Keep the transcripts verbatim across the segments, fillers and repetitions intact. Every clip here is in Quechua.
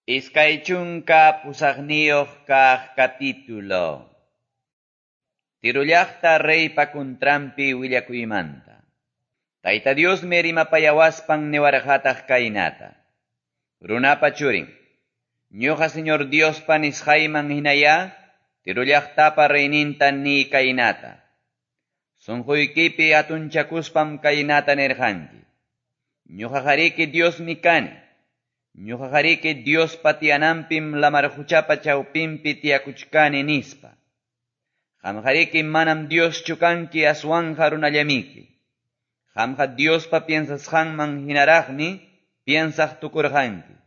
Iskay chunka pusaqniyuq kaq capítulo. Tiro llaqta reypa kuntranpi willakuymanta. Tayta Diosmi rimapayawaspan niwarqataq kaynata. Runapa churin, ñuqa Señor Diospa nisqayman hinaya, Tiro llaqtapa reyninta ni kaynata. Sunquykipi hatunchakuspam kaynata nirqanki. Ñuqaqariki Diosmi kani. Ñuqaqariki Diospa tiyananpim lamar quchapa chawpinpi tiyakuchkani nispa. Qamqariki manam Dioschu kanki aswanja runallamiki. Qamqa Diospa piensasqanman hinaraqmi piensaq tukurqanki.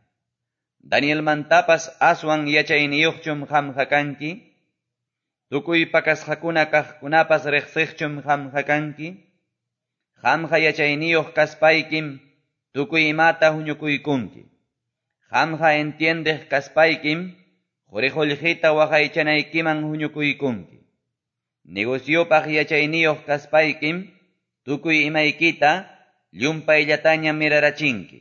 Danielmantapas aswan yachayniyuqchum qamqa kanki. Tukuy pakasqakuna kaqkunapas riqsiqchum qamqa kanki. Qamqa yachayniyuq kaspaykim tukuy imata huñukuykunki. Qamqa entiendeq kaspaykim quri qullqita waqaychanaykiman huñukuykunki. Negociopaq yachayniyuq kaspaykim tukuy imaykita llumpayllataña mirarachinki.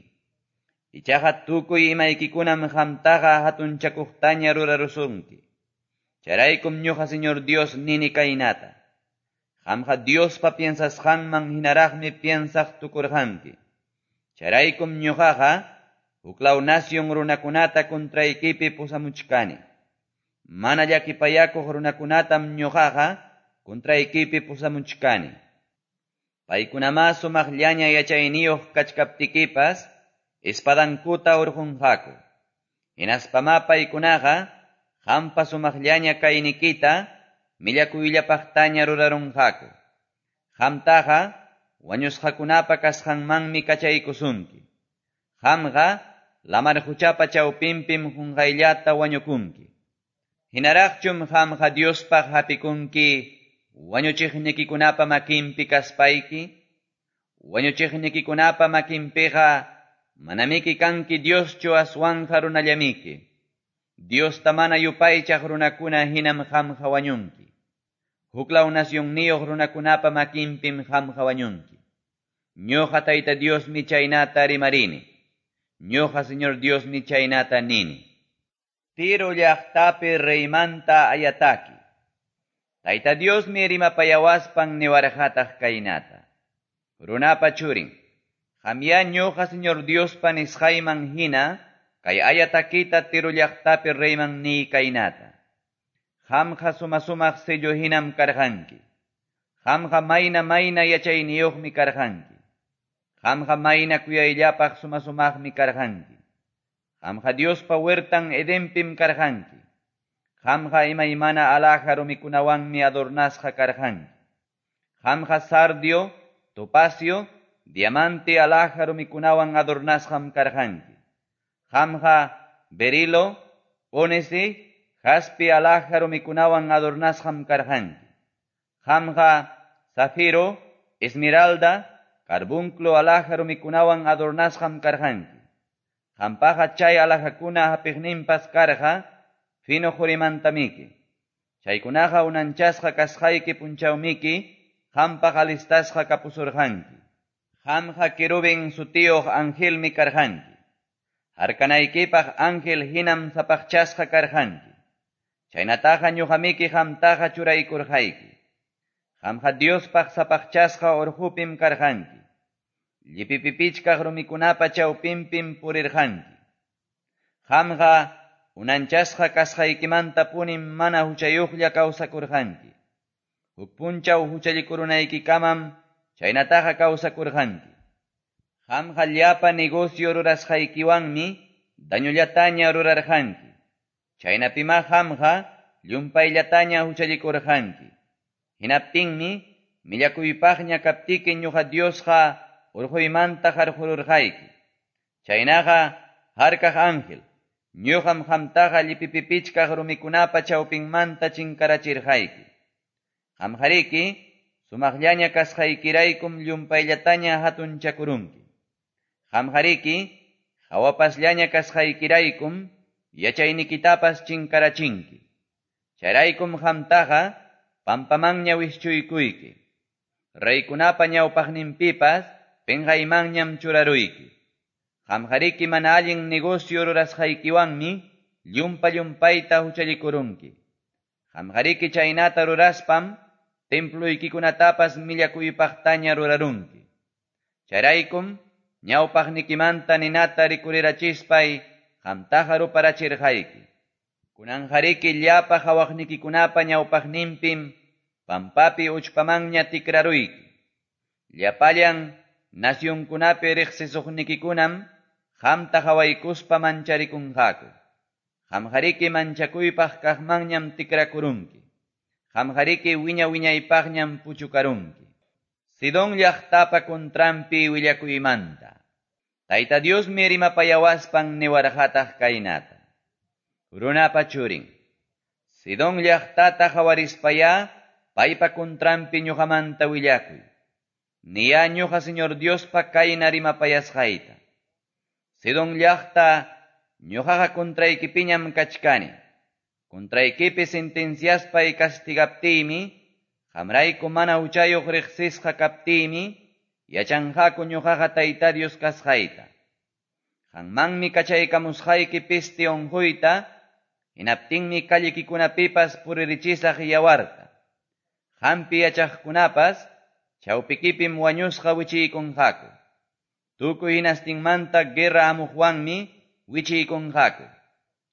Ichaqa tukuy imaykikunam qamtaqa hatunchakuqtaña rurarusunki. Chayraykum ñuqa Señor Dios nini kaynata. Qamqa Diospa piensasqanman hinaraqmi piensaq tukurqanki. Chayraykum ñuqaqa huklaw nación runakunata kuntraykipi pusamuchkani. Mana llakipayakuq runakunatam ñuqaqa kuntraykipi pusamuchkani. Paykunamá sumaqllaña yachayniyuq kachkaptikipas espadankuta urqunqaku. Hinaspamá paykunaqa qampa sumaqllaña kaynikita millakuyllapaqtaña rurarunqaku. Qamtaqa wañusqakunapa kasqanmanmi kachaykusunki. Qamqa lamar quchapa chawpinpim qunqayllata wañukunki. Hinaraqchum qamqa Diospaq hapikunki wañuchiqnikikunapa makinpi kaspayki. Wañuchiqnikikunapa makinpiqa manamiki kanki Dioschu aswanja runallamiki. Diosta mana yupaychaq runakuna hinam qamqa wañunki. Huklaw nacionniyuq runakunapa makinpim qamqa wañunki. Ñuqa Tayta Diosmi chaynata rimarini. Ñuqa Señor Diosmi chaynata nini. Tiro llaqtapi reymanta ayataki. Tayta Diosmi rimapayawaspan niwarqataq kaynata. Runapa churin, qamya ñuqa Señor Diospa nisqayman hina kay ayatakita Tiro llaqtapi reyman niy kaynata. Qamqa suma-sumaq sello hinam karqanki. Qamqa mayna mayna yachayniyuqmi karqanki. Qamqa mayna kuyayllapaq suma-sumaqmi karqanki. Qamqa Diospa huertan Edenpim karqanki. Qamqa imaymana alhaja rumikunawanmi adornasqa karqanki. Qamqa sardio, topacio, diamante alhaja rumikunawan adornasqam karqanki. Qamqa berilo, ónice, jaspe alhaja rumikunawan adornasqam karqanki. Qamqa zafiro, esmeralda, carbunclo alhaja rumikunawan adornasqam karqanki. Qampaqa chay alhajakuna hapiqninpas karqa fino qurimantamiki. Chaykunaqa unanchasqa kasqayki punchawmiki qampaq alistasqa kapusurqanki. Qamqa querubín sutiyuq angelmi karqanki. Harkanaykipaq ángel hinam sapaqchasqa karqanki. Chaynataqa ñuqamiki qamtaqa churaykurqayki. Qamqa Diospaq sapaqchasqa urqupim karqanki. Llipipipichkaq rumikunapa chawpinpim purirqanki. Qamqa unanchasqa kasqaykimantapunim mana huchayuqlla kawsakurqanki. Huk punchaw huchallikurunaykikaman chaynataqa kawsakurqanki. Qamqa llapa negocio rurasqaykiwanmi dañollataña rurarqanki. Chaynapimá qamqa llumpayllataña huchallikurqanki. Hinaptinmi millakuypaqña kaptiki ñuqa Diosqa urquymanta qarqururqayki. Chaynaqa harkaq ángel, ñuqam qamtaqa llipipipichkaq rumikunapa chawpinmanta chinkarachirqayki. Qamqariki sumaqllaña kasqaykiraykum llumpayllataña hatunchakurunki. Qamqariki hawapasllaña kasqaykiraykum yachaynikitapas chinkarachinki. Chayraykum qamtaqa pampamanña wischuykuyki. Reykunapa ñawpaqninpipas pinqaymanñam churaruyki. Qamqariki mana allin negocio rurasqaykiwanmi llumpa-llumpayta huchallikurunki. Qamqariki chaynata ruraspam temploykikunatapas millakuypaqtaña rurarunki. Chayraykum ñawpaqnikimanta ninata rikurirachispay qamtaqa ruparachirqayki. Kunanqariki llapa qhawaqnikikunapa ñawpaqninpim pampapi uchpamanña tikraruyki. Llapallan nacionkunapi riqsisuqnikikunam qamta qhawaykuspa mancharikunqaku. Qamqariki manchakuypaq kaqmanñam tikrakurunki. Qamqariki wiña wiñaypaqñam puchukarunki. Sidón llaqtapa contranpi willakuymanta. Tayta Diosmi rimapayawaspan niwarqataq kaynata. Runapa churin. Sidón llaqtata qhawarispayá paypa contranpi ñuqamanta willakuy. Niya ñuqa Señor Diospa kayna rimapayasqayta. Sidón llaqta ñuqaqa contraykipiñam kachkani. Contraykipi sentenciaspay castigaptiymi, qamrayku mana huchayuq riqsisqa kaptiymi, yachanqaku ñuqaqa Tayta Dios kasqayta. Qanmanmi kachaykamusqayki peste unquyta, hinaptinmi callikikunapipas puririchisaq yawarta. Qampi yachaqkunapas chawpikipim wañusqa wichiykunqaku. Tukuy hinastinmanta guerra hamuqwanmi wichiykunqaku.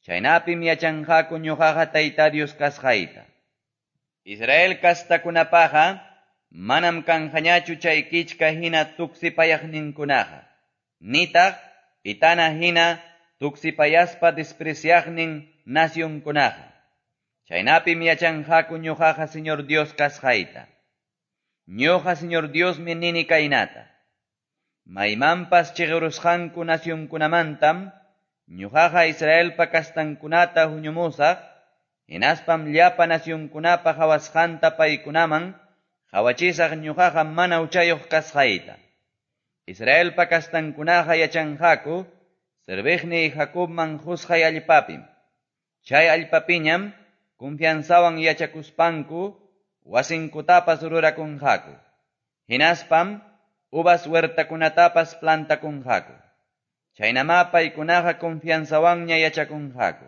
Chaynapim yachanqaku ñuqaqa Tayta Dios kasqayta. Israel kastakunapaqa manam kanqañachu chay kichka hina tuksipayaqninkunaqa. Nitaq pitana hina tuksipayaspa despreciaqnin nacionkunaqa. Chaynapim yachanqaku ñuqaqa Señor Dios kasqayta. Ñuqa Señor Diosmi nini kaynata. Maymanpas chiqirusqanku nacionkunamantam ñuqaqa Israelpa kastankunata huñumusaq, hinaspam llapa nacionkunapa qhawasqanta paykunaman qhawachisaq ñuqaqa mana huchayuq kasqayta. Israelpa kastankunaqa yachanqaku serviqniy Jacobman qusqay allpapim. Chay allpapiñam confianzawan yachakuspanku wasinkutapas rurakunqaku. Hinaspam uvas huertakunatapas plantakunqaku. Chaynamá paykunaqa confianzawanña yachakunqaku.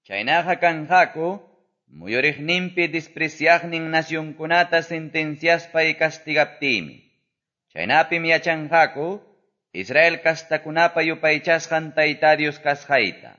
Chaynaqa kanqaku muyuriqninpi despreciaqnin nacionkunata sentenciaspay castigaptiymi. Chaynapim yachanqaku Israel kastakunapa yupaychasqan Tayta Dios kasqayta.